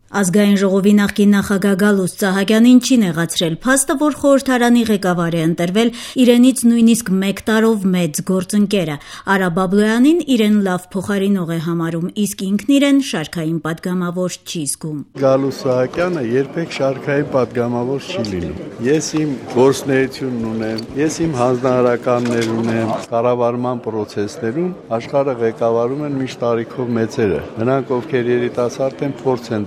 Ազգային ժողովի նախկին նախագահ Գալուստ Սահակյանին չի նեղացրել փաստը, որ խորհրդարանի ղեկավար է ընտրվել իրենից նույնիսկ 1 տարով մեծ գործընկերը։ Արա Բաբլոյանին իրեն լավ փոխարինող է համարում, իսկ ինքն իրեն շարքային պատգամավոր չի զգում։ Գալուստ Սահակյանը երբեք շարքային պատգամավոր չի լինում։ Ես իմ գործունեությունն ունեմ, ես իմ հանձնարարականներ ունեմ, կառավարման պրոցեսներում աշխարհը ղեկավարում են միշտ տարիքով մեծերը։ Նրանք, ովքեր երիտասարդ են, փորձ են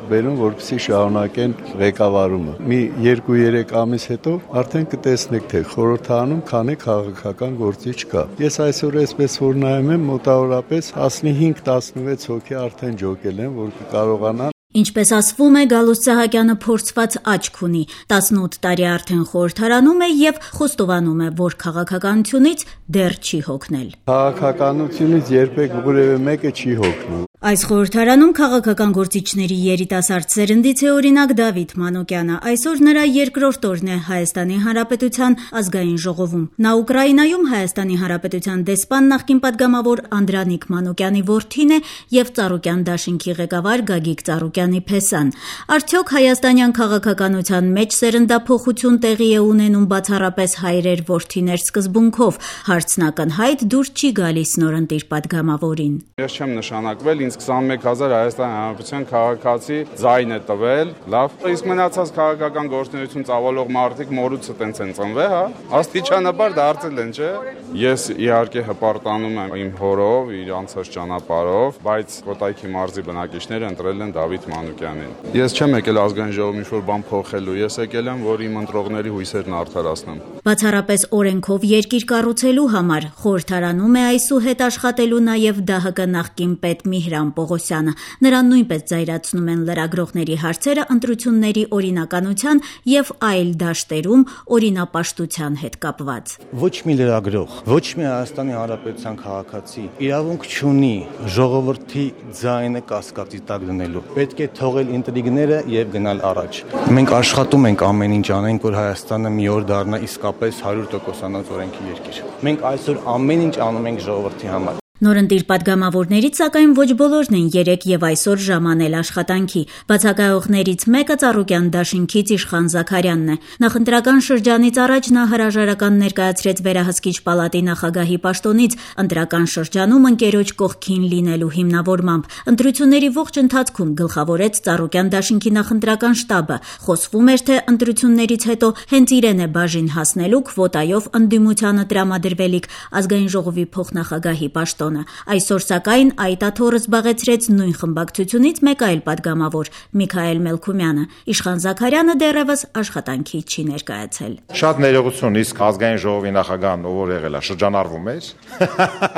բերում, որպեսզի շարունակեն ղեկավարումը։ Մի 2-3 ամիս հետո արդեն կտեսնեք, թե խորհրդարանում քանի քաղաքական գործիչ կա։ Ես այսօր այսպես որ նայում եմ, մոտավորապես 15-16 հոգի արդեն ջոկել են, որ կկարողանան։ Ինչպես ասվում է, Գալուստ Սահակյանը փորձված աչք ունի, 18 տարի արդեն խորհրդարանում է եւ խոստովանում է, որ քաղաքականությունից դեռ չի հոգնել։ Քաղաքականությունից երբեք որևէ մեկը չի հոգնում։ Այս խորհրդարանում քաղաքական գործիչների երիտասարդ սերնդից է օրինակ Դավիթ Մանուկյանը։ Այսօր նրա երկրորդ օրն է Հայաստանի Հանրապետության ազգային ժողովում։ Նա Ուկրաինայում Հայաստանի Հանրապետության դեսպան նախկին պատգամավոր Անդրանիկ Մանուկյանի որդին է եւ Ծառուկյան դաշինքի ղեկավար Գագիկ Ծառուկյանի փեսան։ Արդյոք հայաստանյան քաղաքականության մեջ սերնդափոխություն տեղի է ունենում բացառապես հայրեր-որդիներ սկզբունքով։ Հարցն ակնհայտ դուր չի գալիս նորընտիր պատգամավորին։ Ես չեմ նշանակվել, ինձ 21,000 Հայաստանի Հանրապետության քաղաքացի ձայն է տվել, լավ, իսկ մնացած քաղաքական գործունեություն ծավալող մարդիկ մորուցը տենց են ծնվել, հա, աստիճանաբար դարձել են, չէ։ Ես իհարկե հպարտանում եմ իմ հորով, իր անցած ճանապարհով, բայց Կոտայքի մարզի բնակիչները ընտրել են Դավիթ Մանուկյանին։ Ես չեմ եկել ազգային ժողովում ինչ-որ բան փոխելու, ես եկել եմ, որ իմ ընտրողների հույսերն արդարացնեմ։ Բացառապես օրենքով երկիր կառուցելու համար խորհրդարանում է այսուհետ աշխատելու նաև ԴՀԿ նախկին պետ Միհրան Պողոսյանը։ Նրան նույնպես զայրացնում են լրագրողների հարցերը ընտրությունների օրինականության եւ այլ դաշտերում օրինապաշտության հետ կապված։ Ոչ մի լրագրող, ոչ մի Հայաստանի Հանրապետության քաղաքացի իրավունք չունի ժողովրդի ձայնը կասկածի տակ դնելու։ Պետք է թողել ինտրիգները եւ գնալ առաջ։ Մենք աշխատում ենք ամեն ինչ անենք, որ Հայաստանը մի օր դառնա իսկապես 100%-անոց օրենքի երկիր։ Մենք այսօր ամեն ինչ անում ենք ժողովրդի համար։ Նորընտիր պատգամավորներից սակայն ոչ բոլորն են երեկ եւ այսօր ժամանել աշխատանքի։ Բացակայողներից մեկը Ծառուկյան դաշինքից Իշխան Զաքարյանն է։ Նախընտրական շրջանից առաջ նա հրաժարական ներկայացրեց Վերահսկիչ պալատի նախագահի պաշտոնից ընտրական շրջանում ընկերոջ կողքին լինելու հիմնավորմամբ։ Ընտրությունների ողջ ընթացքում գլխավորեց Ծառուկյան դաշինքի նախընտրական շտաբը։ Խոսվում էր, թե ընտրություններից հետո հենց իրեն է բաժին հասնելու քվոտայով ընդդիմությանը տրամադրվելիք ազգային ժողովի փոխնախագահի պաշտոն։ Այսօր սակայն այդ աթոռը զբաղեցրեց նույն խմբակցությունից մեկ այլ պատգամավոր Միքայել Մելքումյանը։ Իշխան Զաքարյանը դեռևս աշխատանքի չի ներկայացել։ Շատ ներողություն, իսկ ազգային ժողովի նախագահն ով որ եղել է շրջանառվում էր։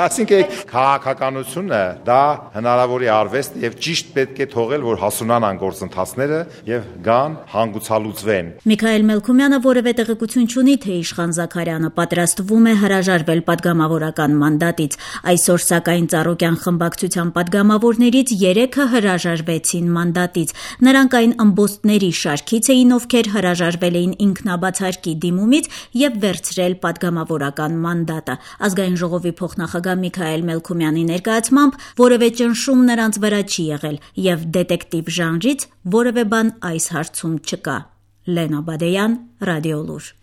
Այսինքն քաղաքականությունը դա հնարավորի արվեստ եւ ճիշտ պետք է թողել, որ հասունանան գործընթացները եւ գան հանգուցալուծվեն։ Միքայել Մելքումյանը որևէ տեղեկություն չունի, թե Իշխան Զաքարյանը պատրաստվում է հրաժարվել պատգամավորական մանդատից։ Այսօր սակայն Ծառուկյան խմբակցության պատգամավորներից 3-ը հրաժարվեցին մանդատից։ Նրանք այն ըմբոստների շարքից էին, ովքեր հրաժարվել էին ինքնաբացարկի դիմումից եւ վերցրել պատգամավորական մանդատը։ Ազգային ժողովի փոխնախագահ Միքայել Մելքումյանի ներկայացմամբ որևէ ճնշում նրանց վրա չի եղել եւ դետեկտիվ ժանրից որևէ բան այս հարցում չկա։ Լենա Բադեյան, Ռադիոլուր։